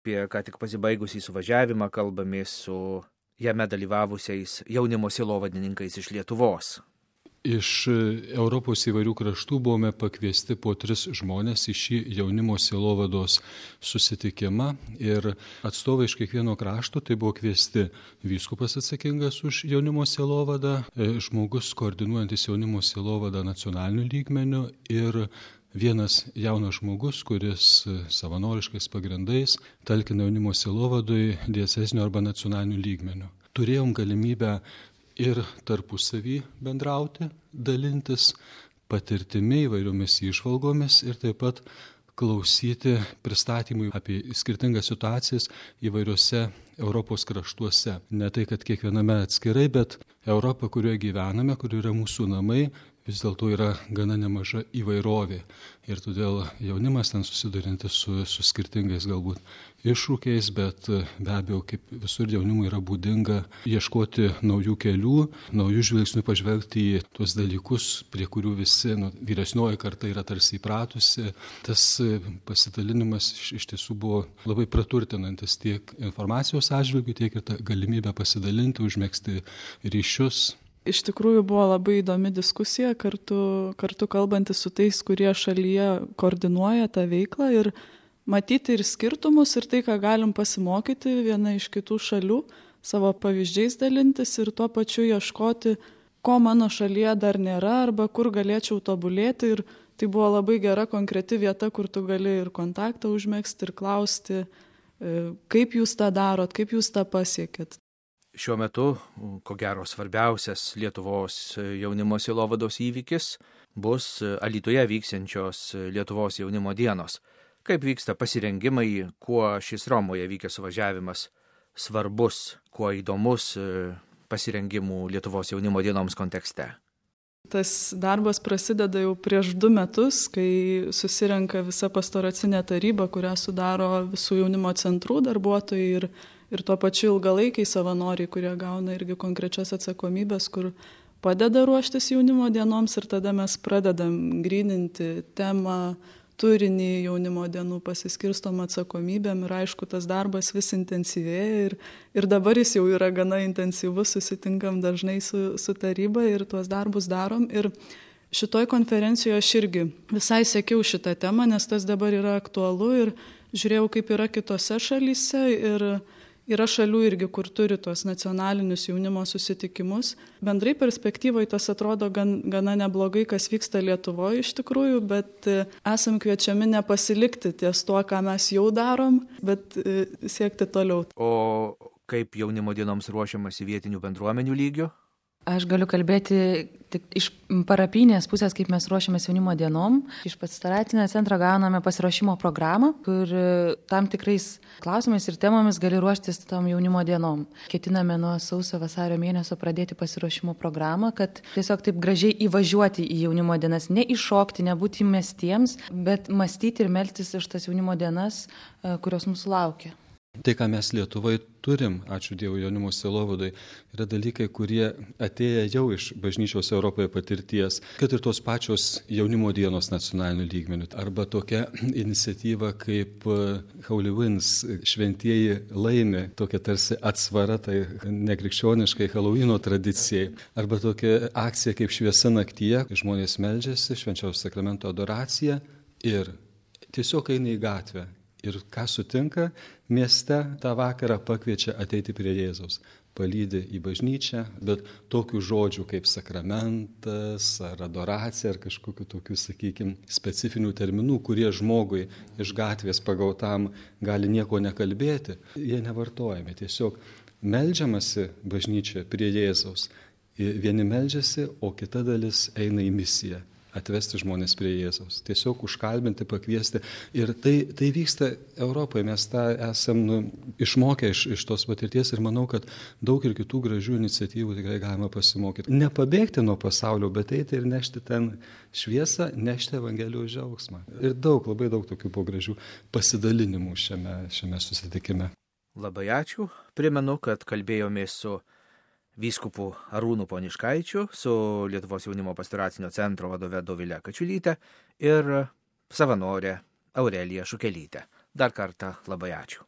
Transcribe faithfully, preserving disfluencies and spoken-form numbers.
Apie ką tik pasibaigusį suvažiavimą kalbamės su jame dalyvavusiais jaunimo sielovadininkais iš Lietuvos. Iš Europos įvairių kraštų buvome pakviesti po tris žmonės į šį jaunimo sielovados susitikimą ir atstovai iš kiekvieno krašto, tai buvo kviesti vyskupas atsakingas už jaunimo sielovadą, žmogus koordinuojantis jaunimo sielovadą nacionaliniu lygmeniu ir vienas jaunas žmogus, kuris savanoriškais pagrindais talkina jaunimo sielovadui dieceziniu arba nacionaliniu lygmeniu. Turėjom galimybę ir tarpusavį bendrauti, dalintis patirtimi įvairiomis įžvalgomis ir taip pat klausyti pristatymui apie skirtingas situacijas įvairiose Europos kraštuose. Ne tai, kad kiekviename atskirai, bet Europa, kurioje gyvename, kur yra mūsų namai, vis dėlto yra gana nemaža įvairovė. Ir todėl jaunimas ten susidurintis su, su skirtingais galbūt iššūkiais, bet be abejo, kaip visur jaunimui yra būdinga ieškoti naujų kelių, naujų žvilgsnių pažvelgti į tuos dalykus, prie kurių visi nu, vyresnioji karta yra tarsi įpratusi. Tas pasidalinimas iš, iš tiesų buvo labai praturtinantis tiek informacijos atžvilgiu, tiek ir tą galimybę pasidalinti, užmegzti ryšius. Iš tikrųjų buvo labai įdomi diskusija, kartu, kartu kalbantis su tais, kurie šalyje koordinuoja tą veiklą ir matyti ir skirtumus ir tai, ką galim pasimokyti viena iš kitų šalių, savo pavyzdžiais dalintis ir tuo pačiu ieškoti, ko mano šalyje dar nėra arba kur galėčiau tobulėti. Ir tai buvo labai gera konkreti vieta, kur tu gali ir kontaktą užmegzti ir klausti, kaip jūs tą darot, kaip jūs tą pasiekėt. Šiuo metu, ko gero, svarbiausias Lietuvos jaunimo sielovados įvykis bus Alytuje vyksiančios Lietuvos jaunimo dienos. Kaip vyksta pasirengimai, kuo šis Romoje vykęs suvažiavimas svarbus, kuo įdomus pasirengimų Lietuvos jaunimo dienoms kontekste? Tas darbas prasideda jau prieš du metus, kai susirenka visa pastoracinė taryba, kurią sudaro visų jaunimo centrų darbuotojai ir Ir tuo pačiu ilgalaikiai savanoriai, kurie gauna irgi konkrečias atsakomybės, kur padeda ruoštis jaunimo dienoms ir tada mes pradedam gryninti temą, turinį jaunimo dienų, pasiskirstom atsakomybėm ir aišku, tas darbas vis intensyvėja ir, ir dabar jis jau yra gana intensyvus, susitinkam dažnai su, su taryba ir tuos darbus darom. Ir šitoj konferencijoje aš irgi visai sekiau šitą temą, nes tas dabar yra aktualu ir žiūrėjau, kaip yra kitose šalyse ir yra šalių irgi, kur turi tos nacionalinius jaunimo susitikimus. Bendrai perspektyvoje tas atrodo gan, gana neblogai, kas vyksta Lietuvoje iš tikrųjų, bet esam kviečiami nepasilikti ties tuo, ką mes jau darom, bet siekti toliau. O kaip jaunimo dienoms ruošiamasi vietinių bendruomenių lygių? Aš galiu kalbėti tik iš parapinės pusės, kaip mes ruošiamės jaunimo dienom. Iš pastoracinio centro gauname pasiruošimo programą, kur tam tikrais klausimais ir temomis gali ruoštis tom jaunimo dienom. Ketiname nuo sausio vasario mėnesio pradėti pasiruošimo programą, kad tiesiog taip gražiai įvažiuoti į jaunimo dienas, ne iššokti, nebūti mestiems, bet mąstyti ir melstis iš tas jaunimo dienas, kurios mūsų laukia. Tai, ką mes Lietuvoje turim, ačiū Dievui jaunimo sielovadai, yra dalykai, kurie atėję jau iš bažnyčios Europoje patirties, kad ir tos pačios jaunimo dienos nacionalinių lygmenių, arba tokia iniciatyva kaip Holy Winds, šventieji laimi, tokia tarsi atsvara tai nekrikščioniškai Halloween tradicijai, arba tokia akcija kaip šviesa naktyje, kai žmonės meldžiasi, švenčiaus sakramento adoracija ir tiesiog eina į gatvę. Ir ką sutinka, mieste tą vakarą pakviečia ateiti prie Jėzaus, palydi į bažnyčią, bet tokių žodžių kaip sakramentas ar adoracija ar kažkokių tokių, sakykime, specifinių terminų, kurie žmogui iš gatvės pagautam gali nieko nekalbėti, jie nevartojami. Tiesiog meldžiamasi bažnyčia prie Jėzaus. Vieni meldžiasi, o kita dalis eina į misiją. Atvesti žmonės prie Jėzaus, tiesiog užkalbinti, pakviesti. Ir tai, tai vyksta Europoje, mes tą esam nu, išmokę iš, iš tos patirties ir manau, kad daug ir kitų gražių iniciatyvų tikrai galima pasimokyti. Nepabėgti nuo pasaulio, bet eiti ir nešti ten šviesą, nešti Evangelijos džiaugsmą. Ir daug, labai daug tokių po gražių pasidalinimų šiame, šiame susitikime. Labai ačiū. Primenu, kad kalbėjomės su vyskupu Arūnu Poniškaičiu, su Lietuvos jaunimo pastoracinio centro vadove Dovile Kačiulyte ir savanorė Aurelija Šukelyte. Dar kartą labai ačiū.